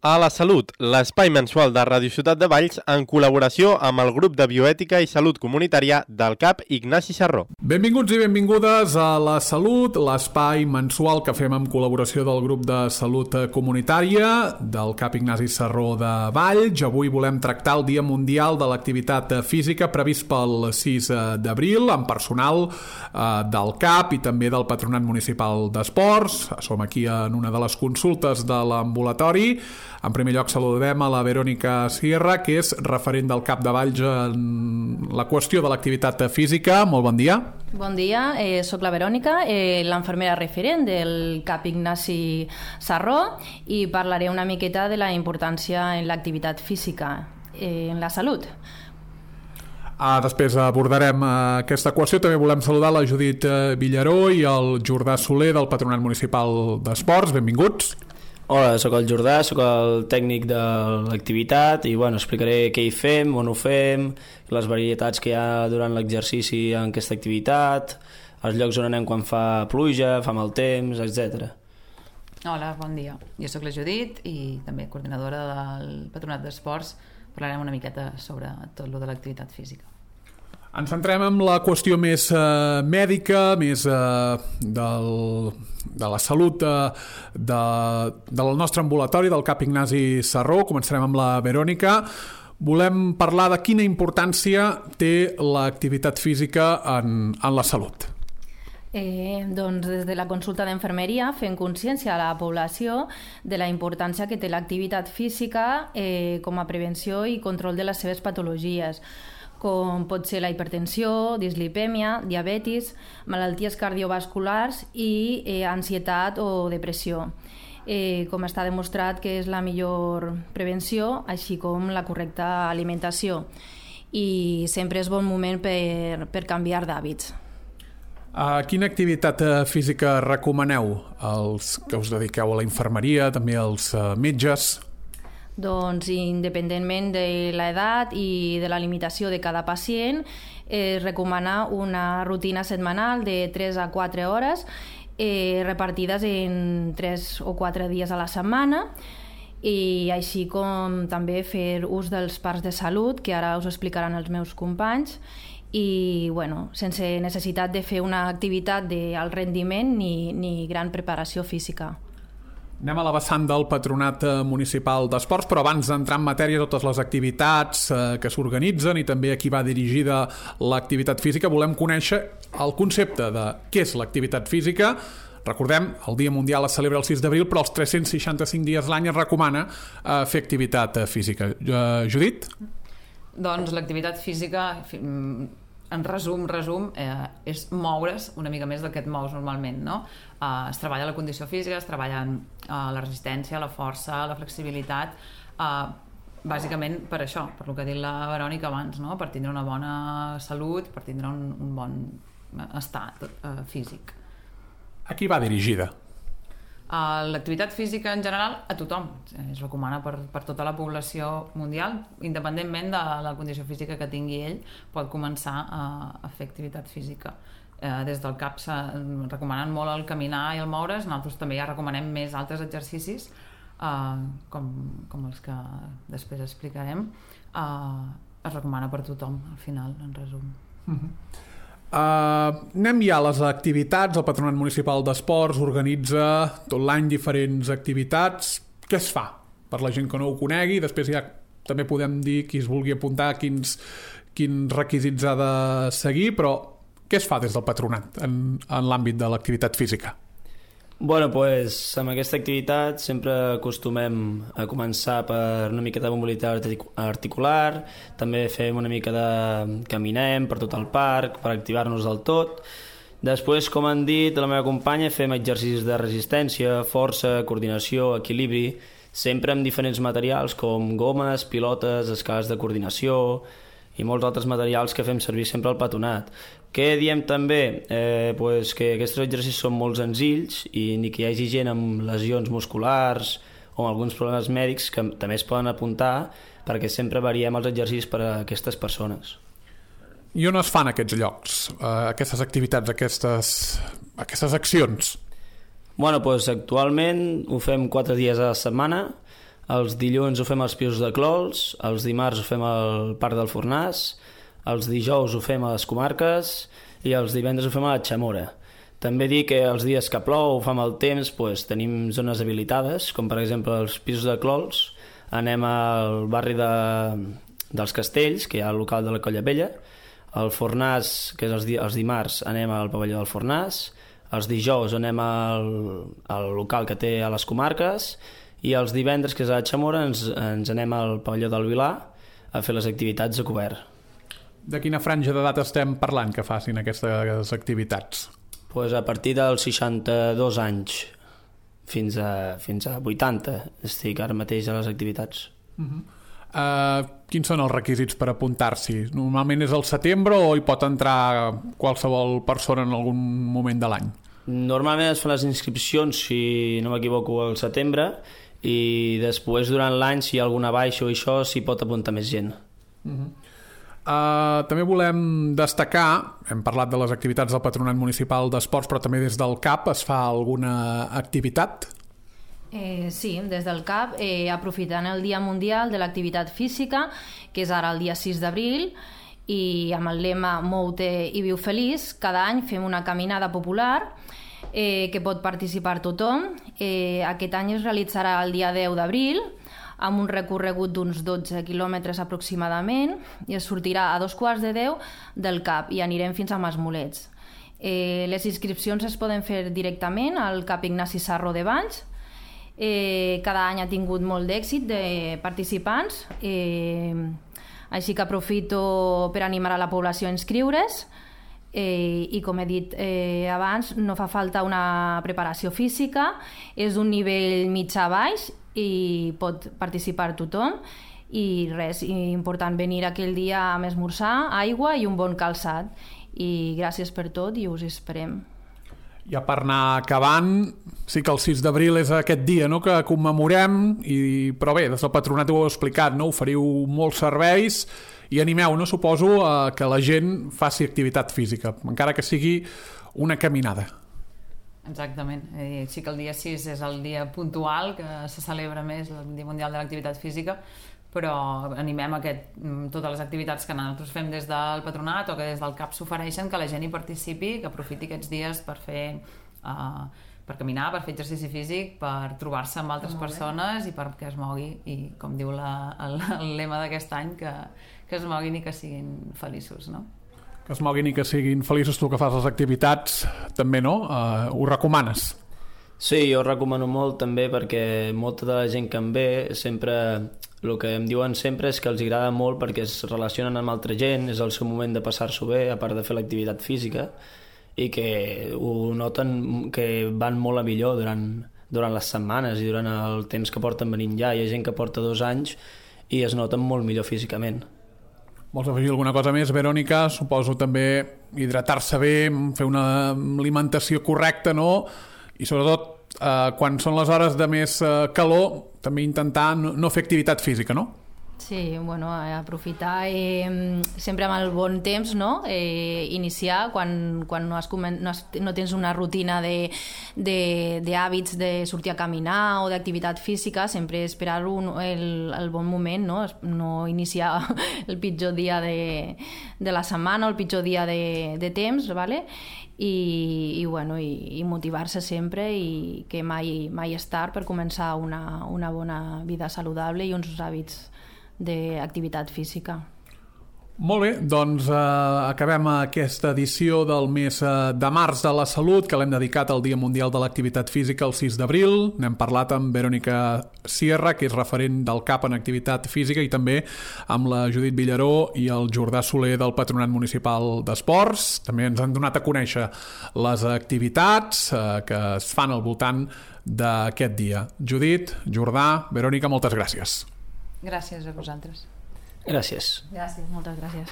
A la Salut, l'espai mensual de Ràdio Ciutat de Valls en col·laboració amb el grup de Bioètica i Salut Comunitària del CAP Ignasi Sarró. Benvinguts i benvingudes a La Salut, l'espai mensual que fem amb col·laboració del grup de Salut Comunitària del CAP Ignasi Sarró de Valls. Avui volem tractar el Dia Mundial de l'Activitat Física previst pel 6 d'abril amb personal del CAP i també del Patronat Municipal d'Esports. Som aquí en una de les consultes de l'ambulatori. En primer lloc saludem a la Verònica Sierra, que és referent del CAP de Valls en la qüestió de l'activitat física. Molt bon dia. Bon dia, soc la Verònica, l'infermera referent del CAP Ignasi Sarró, i parlaré una miqueta de la importància en l'activitat física, en la salut. Després abordarem aquesta qüestió. També volem saludar la Judit Villaró i el Jordà Soler del Patronat Municipal d'Esports. Benvinguts. Hola, sóc el Jordà, sóc el tècnic de l'activitat i explicaré què hi fem, on ho fem, les varietats que hi ha durant l'exercici en aquesta activitat, els llocs on anem quan fa pluja, fa mal temps, etc. Hola, bon dia. Jo sóc la Judit i també coordinadora del Patronat d'Esports. Parlarem una miqueta sobre tot lo de l'activitat física. Ens centrem en la qüestió més mèdica, més de la salut del nostre ambulatori, del CAP Ignasi Sarró. Començarem amb la Verònica. Volem parlar de quina importància té l'activitat física en la salut. Doncs des de la consulta d'enfermeria fem consciència a la població de la importància que té l'activitat física com a prevenció i control de les seves patologies, com pot ser la hipertensió, dislipèmia, diabetis, malalties cardiovasculars i ansietat o depressió. Com està demostrat que és la millor prevenció, així com la correcta alimentació. I sempre és bon moment per canviar d'hàbits. Quina activitat física recomaneu als que us dediqueu a la infermeria, també als metges? Doncs independentment de l'edat i de la limitació de cada pacient, es recomana una rutina setmanal de 3 a 4 hores repartides en 3 o 4 dies a la setmana, i així com també fer ús dels parcs de salut, que ara us explicaran els meus companys, i sense necessitat de fer una activitat d'alt rendiment ni gran preparació física. Anem a la vessant del Patronat Municipal d'Esports, però abans d'entrar en matèria totes les activitats que s'organitzen i també a qui va dirigida l'activitat física, volem conèixer el concepte de què és l'activitat física. Recordem, el Dia Mundial es celebra el 6 d'abril, però els 365 dies l'any es recomana fer activitat física. Judit? Doncs l'activitat física, en resum, és moure's una mica més del que et mous normalment, no? Es treballa la condició física, es treballa la resistència, la força, la flexibilitat, bàsicament per això, per el que ha dit la Verònica abans, no? Per tindre una bona salut, per tindre un bon estat físic. A qui va dirigida? L'activitat física en general a tothom, es recomana per tota la població mundial, independentment de la condició física que tingui ell, pot començar a fer activitat física. Des del CAP recomanen molt el caminar i el moure's, nosaltres també ja recomanem més altres exercicis com els que després explicarem. Es recomana per tothom al final, en resum. Anem ja a les activitats. El Patronat Municipal d'Esports organitza tot l'any diferents activitats. Què es fa per la gent que no ho conegui? Després ja també podem dir qui es vulgui apuntar quins requisits ha de seguir, però què es fa des del Patronat en l'àmbit de l'activitat física? Amb aquesta activitat sempre acostumem a començar per una mica de mobilitat articular, també fem una mica de caminem per tot el parc per activar-nos del tot. Després, com han dit la meva companya, fem exercicis de resistència, força, coordinació, equilibri, sempre amb diferents materials com gomes, pilotes, escales de coordinació i molts altres materials que fem servir sempre al patronat. Què diem també? Que aquests exercicis són molt senzills i ni que hi hagi gent amb lesions musculars o amb alguns problemes mèdics que també es poden apuntar, perquè sempre variem els exercicis per a aquestes persones. I on es fan aquests llocs, aquestes activitats, aquestes accions? Actualment ho fem 4 dies a la setmana Els dilluns ho fem als Pisos de Clols, els dimarts ho fem al Parc del Fornàs, els dijous ho fem a les Comarques i els divendres ho fem a la Xamora. També dir que els dies que plou o fa mal temps tenim zones habilitades, com per exemple els Pisos de Clols, anem al barri dels Castells, que hi ha el local de la Colla Vella, al Fornàs, que és els dimarts, anem al pavelló del Fornàs, els dijous anem al local que té a les Comarques i els divendres, que és a la Xamora, ens anem al pavelló del Vilar a fer les activitats a cobert. De quina franja d'edat estem parlant que facin aquestes activitats? A partir dels 62 anys fins a 80 estic ara mateix a les activitats. Quins són els requisits per apuntar-s'hi? Normalment és al setembre o hi pot entrar qualsevol persona en algun moment de l'any? Normalment es fan les inscripcions, si no m'equivoco, al setembre, i després durant l'any, si hi ha alguna baixa o això, s'hi pot apuntar més gent. També volem destacar, hem parlat de les activitats del Patronat Municipal d'Esports, però també des del CAP es fa alguna activitat? Sí, des del CAP, aprofitant el Dia Mundial de l'Activitat Física, que és ara el dia 6 d'abril, i amb el lema Mou-te i viu feliç, cada any fem una caminada popular que pot participar tothom. Aquest any es realitzarà el dia 10 d'abril, amb un recorregut d'uns 12 quilòmetres aproximadament, i es sortirà a 9:15 del CAP i anirem fins a Masmolets. Les inscripcions es poden fer directament al CAP Ignasi Sarró de Valls. Cada any ha tingut molt d'èxit de participants, així que aprofito per animar a la població a inscriure's. I com he dit abans, no fa falta una preparació física, és d'un nivell mitjà-baix i pot participar tothom, i res, important venir aquell dia amb esmorzar, aigua i un bon calçat. I gràcies per tot i us esperem. Ja per anar acabant, sí que el 6 d'abril és aquest dia, no?, que commemorem, però bé, des del Patronat ho heu explicat, no?, oferiu molts serveis i animeu, no?, suposo, a que la gent faci activitat física, encara que sigui una caminada. Exactament. Sí que el dia 6 és el dia puntual que se celebra més, el Dia Mundial de l'Activitat Física, però animem totes les activitats que nosaltres fem des del Patronat o que des del CAP s'ofereixen, que la gent hi participi, que aprofiti aquests dies per fer per caminar, per fer exercici físic, per trobar-se amb altres persones i perquè es mogui, i com diu el lema d'aquest any, que es moguin i que siguin feliços, no? Que es moguin i que siguin feliços. Tu que fas les activitats també, no? Ho recomanes? Sí, jo ho recomano molt també, perquè molta de la gent que em ve sempre el que em diuen sempre és que els agrada molt perquè es relacionen amb altra gent, és el seu moment de passar-s'ho bé, a part de fer l'activitat física, i que ho noten que van molt a millor durant les setmanes i durant el temps que porten venint ja. Hi ha gent que porta 2 anys i es noten molt millor físicament. Vols afegir alguna cosa més, Verònica? Suposo també hidratar-se bé, fer una alimentació correcta, no? I sobretot, quan són les hores de més calor, també intentar no fer activitat física, no? Sí, bueno, aprofitar sempre amb el bon temps, no? Iniciar quan no tens una rutina d'hàbits de sortir a caminar o d'activitat física, sempre esperar el bon moment, no? No iniciar el pitjor dia de la setmana o el pitjor dia de temps, ¿vale? I motivar-se sempre, i que mai és tard per començar una bona vida saludable i uns hàbits d'activitat física. Molt bé, doncs acabem aquesta edició del mes de març de la salut, que l'hem dedicat al Dia Mundial de l'Activitat Física el 6 d'abril. N'hem parlat amb Verònica Sierra, que és referent del CAP en activitat física, i també amb la Judit Villaró i el Jordà Soler del Patronat Municipal d'Esports. També ens han donat a conèixer les activitats que es fan al voltant d'aquest dia. Judit, Jordà, Verònica, moltes gràcies. Gràcies a vosaltres. Gràcies. Gràcies, moltes gràcies.